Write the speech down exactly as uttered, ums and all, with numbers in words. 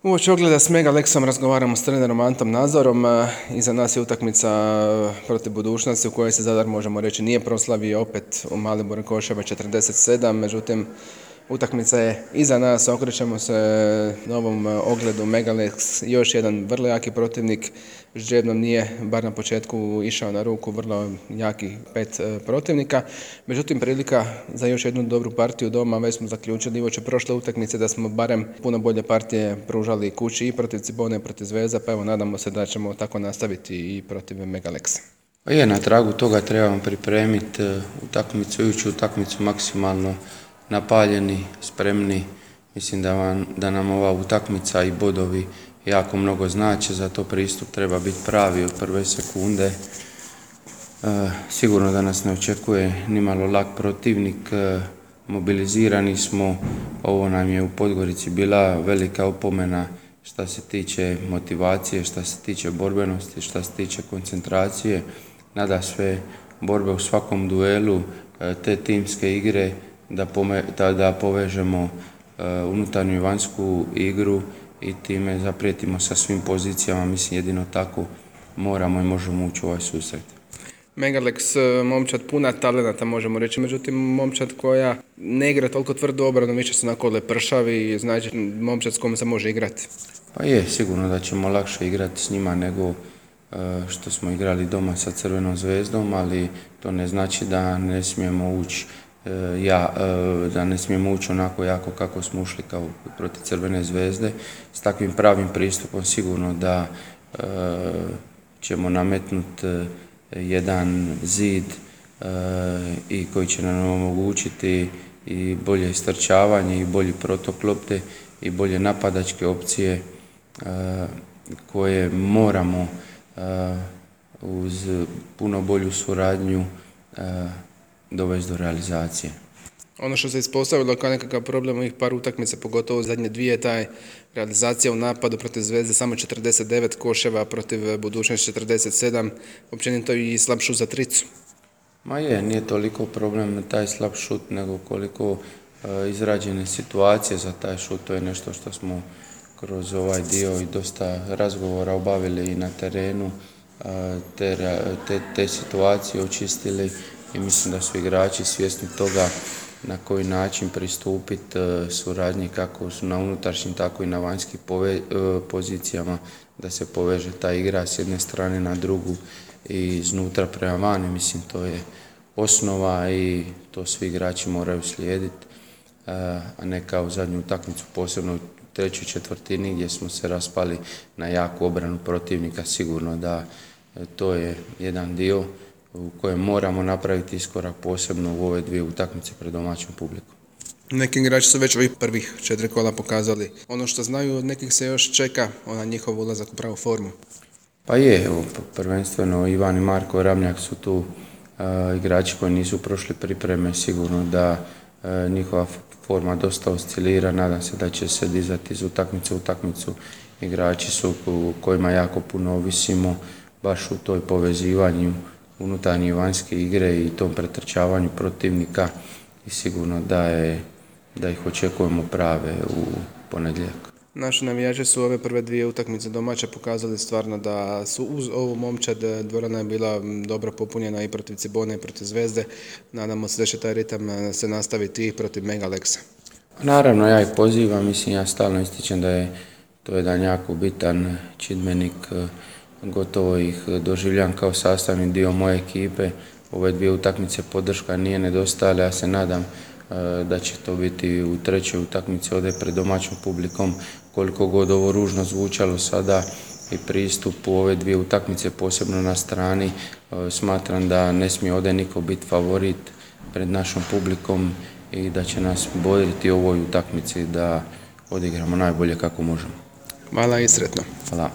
Uoči ogleda s Mega Lexom razgovaramo s trenerom Antom Nazorom. Iza nas je utakmica protiv Budućnosti u kojoj se Zadar, možemo reći, nije proslavio, opet u Malibu Koševa četrdeset sedam, međutim utakmica je iza nas, okrećemo se novom ogledu. Mega Lex, još jedan vrlo jaki protivnik, Ždrijebnom nije, bar na početku, išao na ruku vrlo jaki pet protivnika. Međutim, prilika za još jednu dobru partiju doma. Već smo zaključili uoči prošle utakmice da smo barem puno bolje partije pružali kući i protiv Cibone i protiv Zvezda, pa evo nadamo se da ćemo tako nastaviti i protiv Mega Lexa. Pa je, na tragu toga trebamo pripremiti utakmicu, ići utakmicu maksimalno napaljeni, spremni. Mislim da, vam, da nam ova utakmica i bodovi jako mnogo znači, zato pristup treba biti pravi od prve sekunde. E, sigurno da nas ne očekuje nimalo lak protivnik, e, mobilizirani smo, ovo nam je u Podgorici bila velika opomena što se tiče motivacije, što se tiče borbenosti, što se tiče koncentracije. Nada sve borbe u svakom duelu, e, te timske igre, da, pome, da, da povežemo uh, unutarnju i vanjsku igru i time zaprijetimo sa svim pozicijama. Mislim, jedino tako moramo i možemo ući u ovaj susret. Mega Lex, momčad puna talenata, možemo reći, međutim momčad koja ne igra toliko tvrdu obranu, više su onako lepršavi, znači momčad s kojom se može igrati. Pa je, sigurno da ćemo lakše igrati s njima nego uh, što smo igrali doma sa Crvenom Zvezdom, ali to ne znači da ne smijemo ući Ja, da ne smijemo ući onako jako kako smo ušli kao protiv Crvene Zvezde. S takvim pravim pristupom sigurno da e, ćemo nametnuti jedan zid e, i koji će nam omogućiti i bolje istrčavanje i bolji protok lopte i bolje napadačke opcije e, koje moramo e, uz puno bolju suradnju e, dovesti do realizacije. Ono što se ispostavilo kao nekakav problem ovih par utakmica, pogotovo zadnje dvije, taj realizacija u napadu protiv Zvezde samo četrdeset devet koševa, protiv Budućnosti četrdeset sedam, općenito i slab šut za tricu. Ma je, nije toliko problem taj slab šut, nego koliko e, izrađene situacije za taj šut. To je nešto što smo kroz ovaj dio i dosta razgovora obavili i na terenu, e, te, te, te situacije očistili. I mislim da su igrači svjesni toga na koji način pristupiti suradnji kako su na unutrašnjim, tako i na vanjskim pozicijama, da se poveže ta igra s jedne strane na drugu i iznutra prema vani. Mislim, to je osnova i to svi igrači moraju slijediti, a ne kao zadnju utakmicu, posebno u trećoj četvrtini gdje smo se raspali na jaku obranu protivnika. Sigurno da to je jedan dio u kojem moramo napraviti iskorak, posebno u ove dvije utakmice pred domaćom publikom. Neki igrači su već ovih prvih četiri kola pokazali ono što znaju, od nekih se još čeka, ona njihov ulazak u pravu formu. Pa je, evo, prvenstveno Ivan i Marko Ramljak su tu uh, igrači koji nisu prošli pripreme, sigurno da uh, njihova forma dosta oscilira, nadam se da će se dizati iz utakmice u utakmicu. Igrači su u kojima jako puno ovisimo, baš u toj povezivanju unutarnje i vanjske igre i tom pretrčavanju protivnika i sigurno da, je, da ih očekujemo prave u ponedjeljak. Naši navijači su ove prve dvije utakmice domaće pokazali stvarno da su uz ovu momčad, dvorana je bila dobro popunjena i protiv Cibone i protiv Zvezde. Nadamo se da će taj ritam se nastaviti i protiv Mega Lexa. Naravno, ja ih pozivam, mislim, ja stalno ističem da je to jedan jako bitan čimbenik, gotovo ih doživljam kao sastavni dio moje ekipe. Ove dvije utakmice podrška nije nedostajala, ja se nadam da će to biti u trećoj utakmici ovdje pred domaćom publikom. Koliko god ovo ružno zvučalo sada i pristup u ove dvije utakmice, posebno na strani, smatram da ne smije ovdje niko biti favorit pred našom publikom i da će nas bodriti u ovoj utakmici da odigramo najbolje kako možemo. Hvala i sretno. Hvala.